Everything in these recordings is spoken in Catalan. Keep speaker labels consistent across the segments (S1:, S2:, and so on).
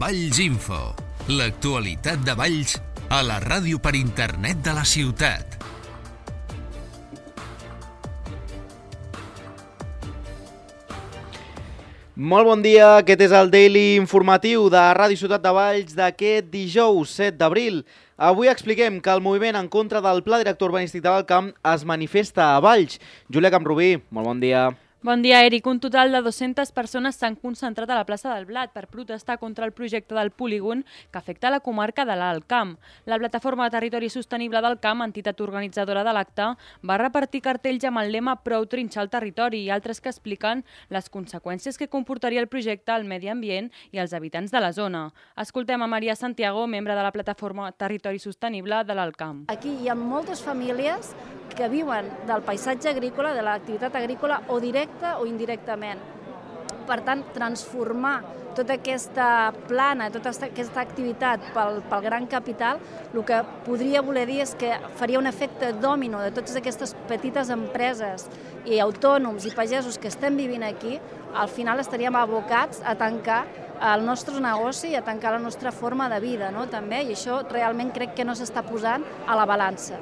S1: Valls Info, l'actualitat de Valls a la ràdio per internet de la ciutat.
S2: Molt bon dia, aquest és el Daily informatiu de Ràdio Ciutat de Valls d'aquest dijous 7 d'abril. Avui expliquem que el moviment en contra del Pla Director Urbanístic de l'Alt Camp es manifesta a Valls. Júlia Camprubí, molt bon dia.
S3: Bon dia, Eric. Un total de 200 persones s'han concentrat a la plaça del Blat per protestar contra el projecte del polígon que afecta la comarca de l'Alt Camp. La plataforma de Territori Sostenible del Camp, entitat organitzadora de l'acte, va repartir cartells amb el lema "Prou trinxar el territori" i altres que expliquen les conseqüències que comportaria el projecte al medi ambient i als habitants de la zona. Escoltem a Maria Santiago, membre de la plataforma Territori Sostenible de l'Alt Camp.
S4: Aquí hi ha moltes famílies que viuen del paisatge agrícola, de l'activitat agrícola, o directa o indirectament. Per tant, transformar tota aquesta plana, tota aquesta activitat pel gran capital, el que podria voler dir és que faria un efecte dòmino de totes aquestes petites empreses i autònoms i pagesos que estem vivint aquí. Al final estaríem abocats a tancar el nostre negoci i a tancar la nostra forma de vida, no? També, i això realment crec que no s'està posant a la balança.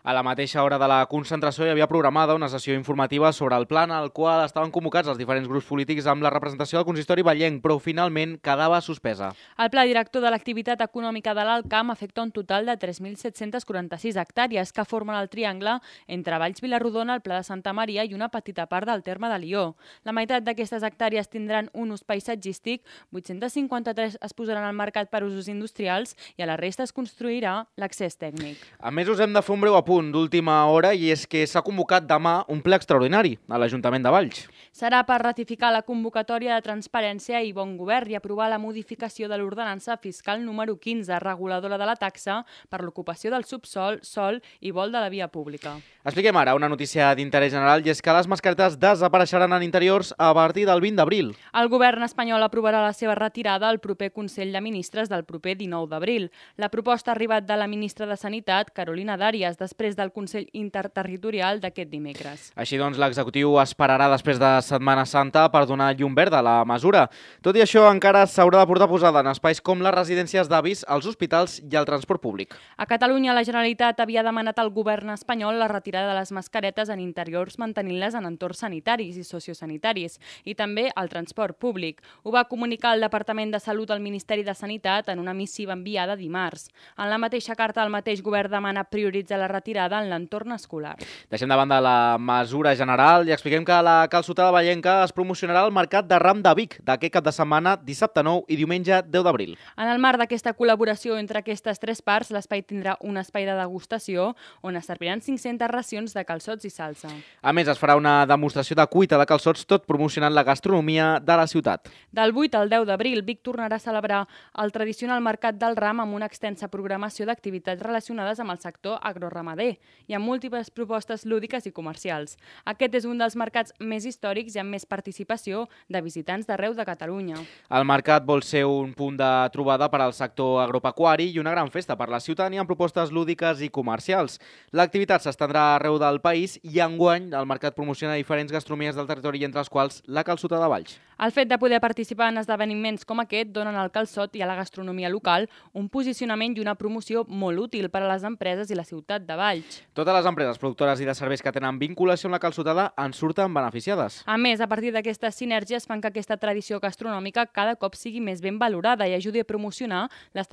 S2: A la mateixa hora de la concentració hi havia programada una sessió informativa sobre el pla en el qual estaven convocats els diferents grups polítics amb la representació del consistori vallenc, però finalment quedava suspesa.
S3: El pla director de l'activitat econòmica de l'Alt Camp afecta un total de 3.746 hectàrees que formen el triangle entre Valls, Vilarrodona, el Pla de Santa Maria i una petita part del terme de Lió. La meitat d'aquestes hectàrees tindran un ús paisatgístic, 853 es posaran al mercat per usos industrials i a la resta es construirà l'accés tècnic.
S2: A més, us hem de fer un breu apunt d'última hora i és que s'ha convocat demà un ple extraordinari a l'Ajuntament de Valls.
S3: Serà per ratificar la convocatòria de transparència i bon govern i aprovar la modificació de l'ordenança fiscal número 15, reguladora de la taxa per l'ocupació del subsòl, sòl i vol de la via pública.
S2: Expliquem ara una notícia d'interès general i és que les mascaretes desapareixeran en interiors a partir del 20 d'abril.
S3: El govern espanyol aprovarà la seva retirada al proper Consell de Ministres del proper 19 d'abril. La proposta ha arribat de la ministra de Sanitat, Carolina Dàries, després del Consell Interterritorial d'aquest dimecres.
S2: Així doncs, l'executiu esperarà després de Setmana Santa per donar llum verda a la mesura. Tot i això, encara s'haurà de portar posada en espais com les residències d'avis, els hospitals i el transport públic.
S3: A Catalunya, la Generalitat havia demanat al govern espanyol la retirada de les mascaretes en interiors mantenint-les en entorns sanitaris i sociosanitaris i també al transport públic. Ho va comunicar el Departament de Salut al Ministeri de Sanitat en una missiva enviada dimarts. En la mateixa carta, el mateix govern demana prioritzar la retirada en l'entorn escolar.
S2: Deixem de banda la mesura general i expliquem que la calçotada vallenca es promocionarà al Mercat de Ram de Vic d'aquest cap de setmana, dissabte 9 i diumenge 10 d'abril.
S3: En el marc d'aquesta col·laboració entre aquestes tres parts, l'espai tindrà un espai de degustació on es serviran 500 racions de calçots i salsa.
S2: A més, es farà una demostració de cuita de calçots, tot promocionant la gastronomia de la ciutat.
S3: Del 8 al 10 d'abril, Vic tornarà a celebrar el tradicional Mercat del Ram amb una extensa programació d'activitats relacionades amb el sector agroramader i amb múltiples propostes lúdiques i comercials. Aquest és un dels mercats més històrics i amb més participació de visitants d'arreu de Catalunya.
S2: El mercat vol ser un punt de trobada per al sector agropecuari i una gran festa per la ciutadania amb propostes lúdiques i comercials. L'activitat s'estendrà arreu del país i enguany el mercat promociona diferents gastronomies del territori, entre les quals la calçotada de Valls.
S3: El fet de poder participar en esdeveniments com aquest donen al calçot i a la gastronomia local un posicionament i una promoció molt útil per a les empreses i la ciutat de Valls.
S2: Totes les empreses productores i de serveis que tenen vinculació amb la calçotada en surten beneficiades.
S3: A més, a partir d'aquestes sinergies fan que aquesta tradició gastronòmica cada cop sigui més ben valorada i ajudi a promocionar les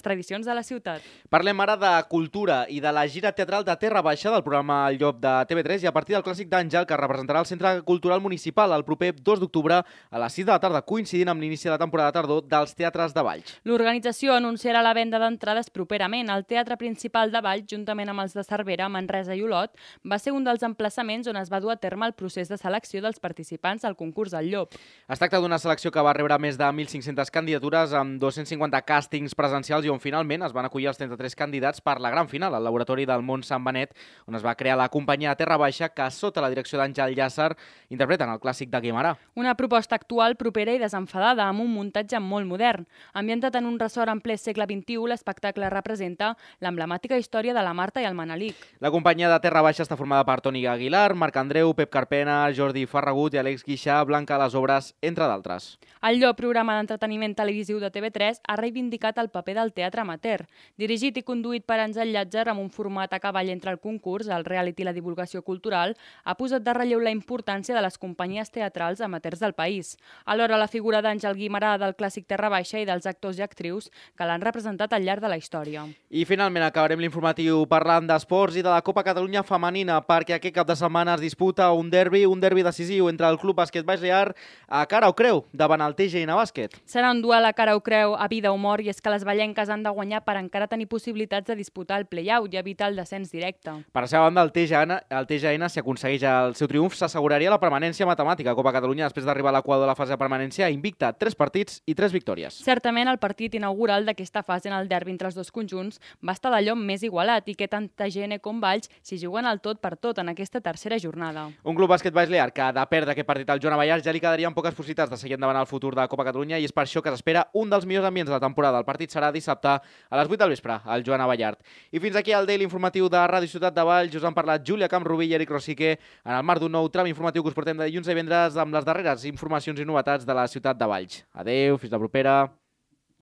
S3: tradicions de la ciutat.
S2: Parlem ara de cultura i de la gira teatral de Terra Baixa del programa El Llop de TV3 i a partir del clàssic d'Àngel que representarà el Centre Cultural Municipal el proper 2 d'octubre a les 6 de la tarda, coincidint amb l'inici de la temporada de tardor dels teatres de Valls.
S3: L'organització anunciarà la venda d'entrades properament. El Teatre Principal de Valls, juntament amb els de Cervera, Manresa i Olot, va ser un dels emplaçaments on es va dur a terme el procés de selecció dels participants al concurs del Llop.
S2: Es tracta d'una selecció que va rebre més de 1.500 candidatures amb 250 càstings presencials i on finalment es van acollir els 33 candidats per la gran final al Laboratori del Mont Sant Benet, on es va crear la companyia Terra Baixa que, sota la direcció d'Àngel Llàcer, interpreten el clàssic de Guimarà.
S3: Una proposta proposta actual, propera i desenfadada, amb un muntatge molt modern. Ambientat en un ressort en ple segle XXI, l'espectacle representa l'emblemàtica història de la Marta i el Manelic.
S2: La companyia de Terra Baixa està formada per Toni Aguilar, Marc Andreu, Pep Carpena, Jordi Ferragut i Àlex Guixà, Blanca Les Obres, entre d'altres.
S3: El Llop, programa d'entreteniment televisiu de TV3, ha reivindicat el paper del teatre amateur. Dirigit i conduït per Àngel Llàtzer amb un format a cavall entre el concurs, el reality i la divulgació cultural, ha posat de relleu la importància de les companyies teatrals amateurs del país. Alhora, la figura d'Àngel Guimarà del clàssic Terra Baixa i dels actors i actrius que l'han representat al llarg de la història.
S2: I finalment acabarem l'informatiu parlant d'esports i de la Copa Catalunya femenina, perquè aquest cap de setmana es disputa un derbi decisiu entre el Club Bàsquet Baix Llear a cara o creu davant el TGN Bàsquet.
S3: Serà un duel a cara o creu, a vida o mort, i és que les ballenques han de guanyar per encara tenir possibilitats de disputar el play-out i evitar el descens directe.
S2: Per la seva banda, el TGN, si aconsegueix el seu triomf, s'asseguraria la permanència matemàtica a Copa Catalunya després d'arribar a l'equador de la fase de permanència invicta, 3 partits i 3 victòries.
S3: Certament, el partit inaugural d'aquesta fase en el derbi entre els dos conjunts va estar d'allò més igualat i que tant TGN com Valls s'hi juguen el tot per tot en aquesta tercera jornada.
S2: Un Club Bàsquet Baix Llear que, de perdre aquest partit al Joan Abellars, ja li quedarien poques possibilitats de seguir endavant el futur de Copa Catalunya i és per això que s'espera un dels millors ambients de la temporada. El partit serà dissabte a les 8 del vespre al Joan Abellard. I fins aquí el Daily Informatiu de Ràdio Ciutat de Valls. Us han parlat Júlia Camprubí i Eric Rosique en el marc d'un nou tram informatiu que us portem de dilluns a divendres amb les darreres informacions i novetats de la ciutat de Valls. Adeu, fins la propera.